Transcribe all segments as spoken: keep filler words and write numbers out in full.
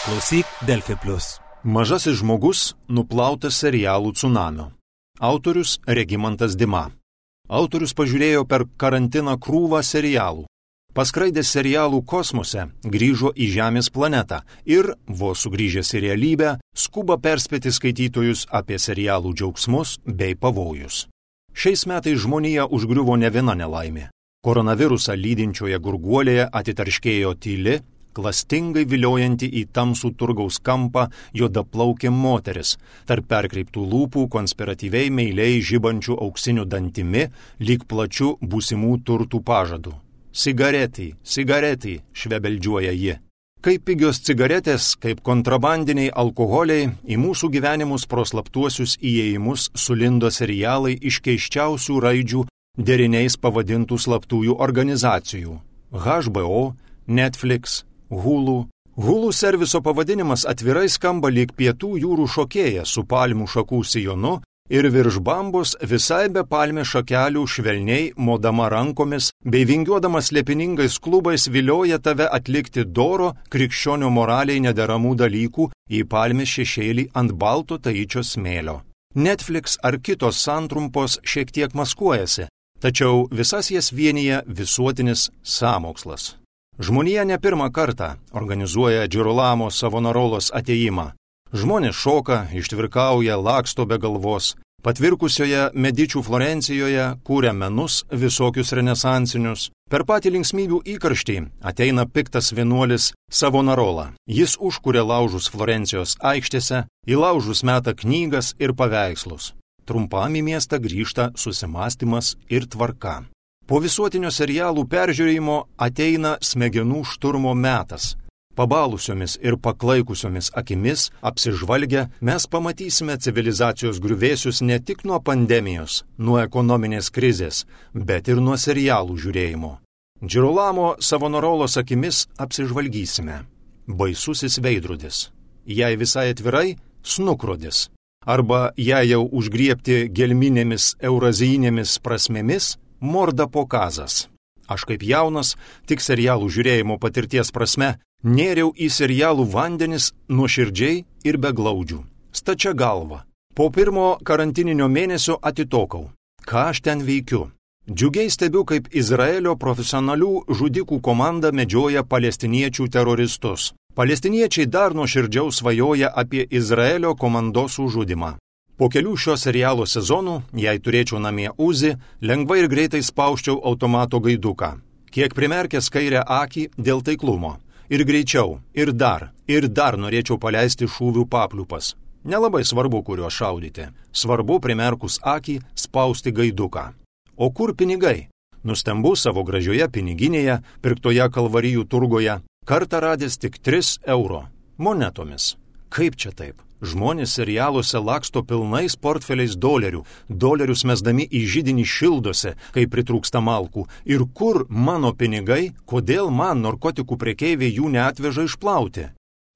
Klausyk Delfi Plus. Mažasis žmogus nuplautas serialų cunamio. Autorius Regimantas Dima. Autorius pažiūrėjo per karantiną krūvą serialų. Paskraidęs serialų kosmose, grįžo į Žemės planetą ir, vos sugrįžęs į realybę, skuba perspėti skaitytojus apie serialų džiaugsmus bei pavojus. Šiais metais žmonija užgriuvo ne viena nelaimė. Koronavirusą lydinčioje gurguolėje atitarškėjo tyli, klastingai viliojanti į tamsų turgaus kampą juodaplaukė moteris, tarp perkreiptų lūpų konspiratyviai meiliai žibančių auksiniu dantimi, lyg plačiu būsimų turtų pažadų. Cigaretį, cigaretį, švebeldžiuoja ji. Kaip pigios cigaretės, kaip kontrabandiniai alkoholiai, į mūsų gyvenimus pro slaptuosius įėjimus sulindo serialai iš keisčiausių raidžių deriniais pavadintų slaptųjų organizacijų. H B O, Netflix, Hulu. Hulu serviso pavadinimas atvirai skamba lyg pietų jūrų šokėja su palmių šakų sijonu ir virš bambos visai be palmės šakelių švelniai modama rankomis bei vingiuodamas slėpiningais klubais vilioja tave atlikti doro krikščionio moraliai nederamų dalykų į palmės šešėlį ant balto taičio smėlio. Netflix ar kitos santrumpos šiek tiek maskuojasi, tačiau visas jas vienyje visuotinis sąmokslas. Žmonija ne pirmą kartą organizuoja Džirolamo Savonarolos atėjimą. Žmonės šoka, ištvirkauja, laksto be galvos. Patvirkusioje Medičių Florencijoje kūrė menus visokius renesansinius. Per patį linksmybių įkarštį ateina piktas vienuolis Savonarola. Jis užkūrė laužus Florencijos aikštėse, į laužus meta knygas ir paveikslus. Trumpam į miestą grįžta susimąstymas ir tvarka. Po visuotinio serialų peržiūrėjimo ateina smegenų šturmo metas. Pabalusiomis ir paklaikusiomis akimis apsižvalgę mes pamatysime civilizacijos griuvėsius ne tik nuo pandemijos, nuo ekonominės krizės, bet ir nuo serialų žiūrėjimo. Džirolamo Savonarolos akimis apsižvalgysime. Baisusis veidrodis. Jei visai atvirai, snukrodis. Arba jei jau užgriebti gelminėmis eurazijinėmis prasmėmis, Mordapokazas. Aš kaip jaunas, tik serialų žiūrėjimo patirties prasme, nėriau į serialų vandenis nuoširdžiai ir be glaudžių. Stačia galva. Po pirmo karantininio mėnesio atitokau. Ką aš ten veikiu? Džiugiai stebiu, kaip Izraelio profesionalių žudikų komanda medžioja palestiniečių teroristus. Palestiniečiai dar nuoširdžiau svajoja apie Izraelio komandosų žudimą. Po kelių šio serialo sezonų, jei turėčiau namie Uzi, lengvai ir greitai spausčiau automato gaiduką. Kiek primerkęs kairę akį dėl taiklumo. Ir greičiau, ir dar, ir dar norėčiau paleisti šūvių papliupas. Nelabai svarbu, kuriuo šaudyti. Svarbu primerkus akį spausti gaiduką. O kur pinigai? Nustembu savo gražioje piniginėje, pirktoje Kalvarijų turgoje, kartą radęs tik tris euro. Monetomis. Kaip čia taip? Žmonės serialuose laksto pilnais portfeliais dolerių, dolerius mesdami į židinį šildosi, kai pritrūksta malkų. Ir kur mano pinigai, kodėl man narkotikų prekeiviai jų neatveža išplauti?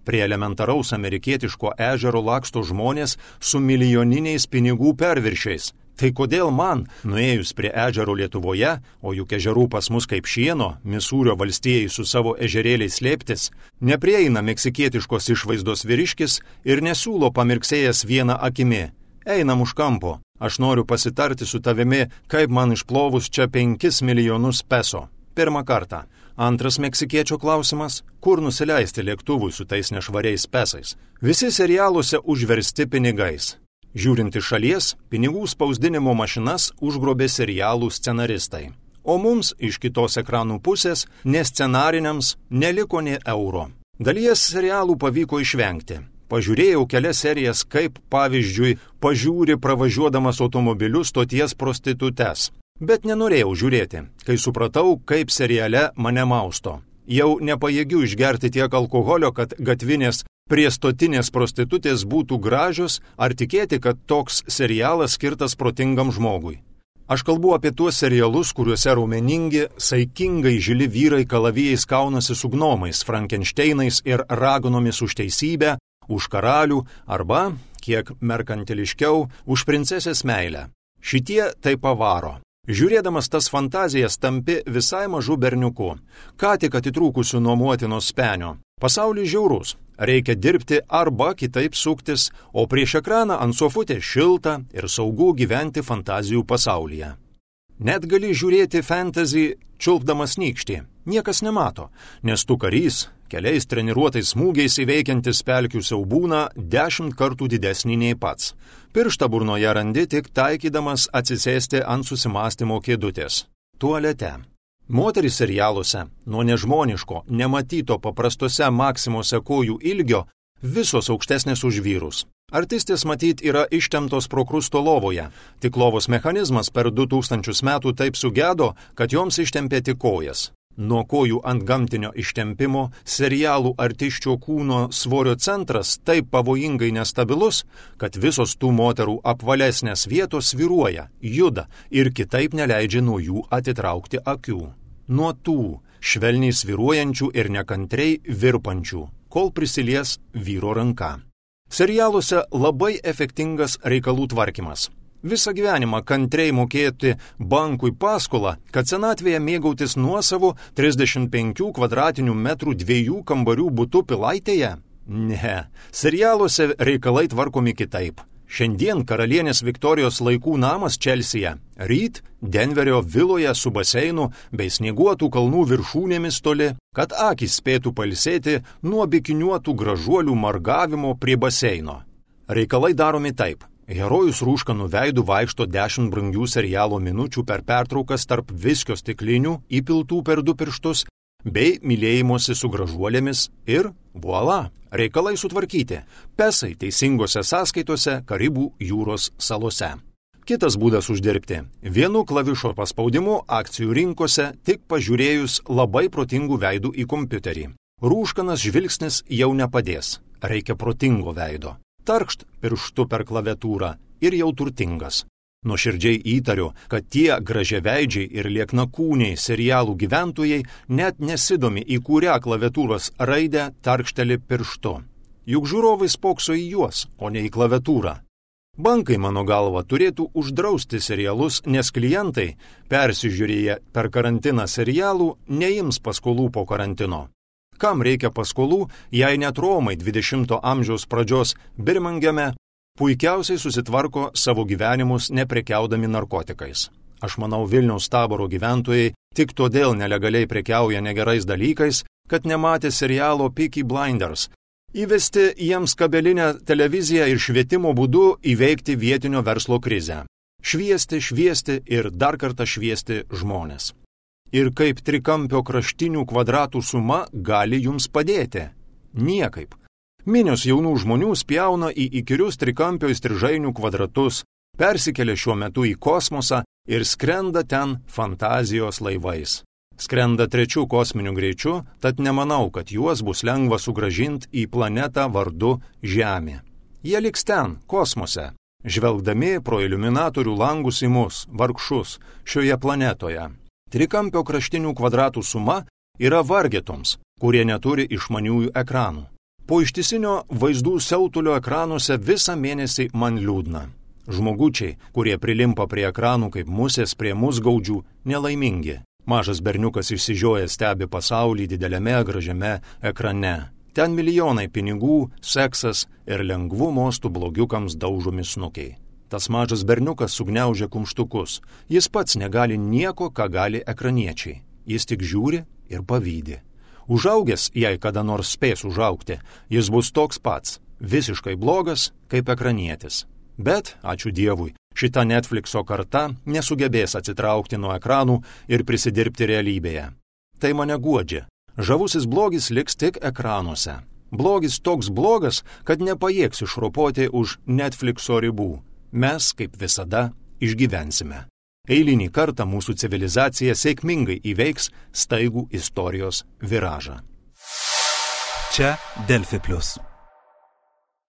Prie elementaraus amerikietiško ežero laksto žmonės su milijoniniais pinigų perviršiais. Tai kodėl man, nuėjus prie ežero Lietuvoje, o juk ežerų pas mus kaip šieno, Misūrio valstijai su savo ežerėliais slėptis, neprieina meksikietiškos išvaizdos vyriškis ir nesiūlo pamirksėjęs vieną akimi. Einam už kampo, aš noriu pasitarti su tavimi, kaip man išplovus čia penkis milijonus peso. Pirmą kartą. Antras meksikiečio klausimas, kur nusileisti lėktuvui su tais nešvariais pesais. Visi serialuose užversti pinigais. Žiūrint iš šalies, pinigų spausdinimo mašinas užgrobė serialų scenaristai. O mums iš kitos ekranų pusės, ne scenariniams, neliko nė euro. Dalies serialų pavyko išvengti. Pažiūrėjau kelias serijas, kaip, pavyzdžiui, pažiūri pravažiuodamas automobiliu stoties prostitutes. Bet nenorėjau žiūrėti, kai supratau, kaip seriale mane mausto. Jau nepajėgiu išgerti tiek alkoholio, kad gatvinės prie stotinės prostitutės būtų gražios, ar tikėti, kad toks serialas skirtas protingam žmogui. Aš kalbu apie tuos serialus, kuriuose raumeningi, saikingai žili vyrai kalavijais kaunasi su gnomais, Frankenšteinais ir raganomis už teisybę, už karalių arba, kiek merkantiliškiau, už princesės meilę. Šitie tai pavaro. Žiūrėdamas tas fantazijas tampi visai mažu berniuku, ką tik atitrūkusiu nuo motinos spenio. Pasaulis žiaurus, Reikia dirbti arba kitaip suktis, o prieš ekraną ant sofutės šilta ir saugu gyventi fantazijų pasaulyje. Net gali žiūrėti fantasy čiulpdamas nykštį. Niekas nemato, nes tu karys, keliais treniruotais smūgiais įveikiantis pelkių siaubūną dešimt kartų didesnį nei pats. Pirštą burnoje randi tik taikydamas atsisėsti ant susimąstymo kėdutės. Tualete. Moterys serialuose nuo nežmoniško, nematyto paprastose maksimose kojų ilgio visos aukštesnės už vyrus. Artistės matyt yra ištemptos prokrusto lovoje, tik lovos mechanizmas per du tūkstančius metų taip sugedo, kad joms ištempė tik kojas. Nuo kojų ant gamtinio ištempimo serialų artiščio kūno svorio centras taip pavojingai nestabilus, kad visos tų moterų apvalesnės vietos svyruoja, juda ir kitaip neleidžia nuo jų atitraukti akių. Nuo tų švelniai svyruojančių ir nekantriai virpančių, kol prisilies vyro ranka. Serialuose labai efektingas reikalų tvarkymas. Visą gyvenimą kantriai mokėti bankui paskolą, kad senatvėje mėgautis nuosavu trisdešimt penkių kvadratinių metrų dviejų kambarių butu Pilaitėje? Ne, serialuose reikalai tvarkomi kitaip. Šiandien karalienės Viktorijos laikų namas Čelsyje, ryt Denverio viloje su baseinu bei snieguotų kalnų viršūnėmis toli, kad akys spėtų pailsėti nuo bikiniuotų gražuolių margavimo prie baseino. Reikalai daromi taip. Herojus rūškanų veidų vaikšto dešimt brangių serialo minučių per pertraukas tarp viskio stiklinių įpiltų per du pirštus, bei mylėjimosi su gražuolėmis ir voila, reikalai sutvarkyti. Pesai teisingose sąskaitose Karibų jūros salose. Kitas būdas uždirbti. Vienu klavišo paspaudimu akcijų rinkose tik pažiūrėjus labai protingų veidų į kompiuterį. Rūškanas žvilgsnis jau nepadės. Reikia protingo veido. Tarkšt pirštu per klaviatūrą ir jau turtingas. Nuoširdžiai įtariu, kad tie gražiaveidžiai ir lieknakūniai serialų gyventojai net nesidomi, į kurią klaviatūros raidę tarkšteli pirštu. Juk žiūrovai spokso į juos, o ne į klaviatūrą. Bankai, mano galva, turėtų uždrausti serialus, nes klientai, persižiūrėję per karantiną serialų, neims paskolų po karantino. Kam reikia paskolų, jei net Romai dvidešimto amžiaus pradžios Birmingeme puikiausiai susitvarko savo gyvenimus neprekiaudami narkotikais. Aš manau, Vilniaus Taboro gyventojai tik todėl nelegaliai prekiauja negerais dalykais, kad nematė serialo Peaky Blinders. Įvesti jiems kabelinę televiziją ir švietimo būdu įveikti vietinio verslo krizę. Šviesti, šviesti ir dar kartą šviesti žmonės. Ir kaip trikampio kraštinių kvadratų suma gali jums padėti? Niekaip. Minios jaunų žmonių spjauna į įkyrius trikampio įstrižainių kvadratus, persikelia šiuo metu į kosmosą ir skrenda ten fantazijos laivais. Skrenda trečių kosminių greičių, tad nemanau, kad juos bus lengva sugrąžinti į planetą vardu Žemė. Jie liks ten, kosmose, žvelgdami pro iliuminatorių langus į mus, vargšus, šioje planetoje. Trikampio kraštinių kvadratų suma yra vargetoms, kurie neturi išmaniųjų ekranų. Po ištisinio vaizdų siautulio ekranuose visą mėnesį man liūdna. Žmogučiai, kurie prilimpa prie ekranų kaip musės prie musgaudžių, nelaimingi. Mažas berniukas išsižiojęs stebi pasaulį dideliame gražiame ekrane. Ten milijonai pinigų, seksas ir lengvų mostų blogiukams daužomi snukiai. Tas mažas berniukas sugniaužia kumštukus. Jis pats negali nieko, ką gali ekraniečiai. Jis tik žiūri ir pavydi. Užaugęs, jei kada nors spės užaugti, jis bus toks pats, visiškai blogas kaip ekranietis. Bet, ačiū Dievui, šita Netflixo karta nesugebės atsitraukti nuo ekranų ir prisidirbti realybėje. Tai mane guodžia. Žavusis blogis liks tik ekranuose. Blogis toks blogas, kad nepajėgs išropoti už Netflixo ribų. Mes, kaip visada, išgyvensime. Eilinį kartą mūsų civilizacija sėkmingai įveiks staigų istorijos viražą. Čia Delfi plius.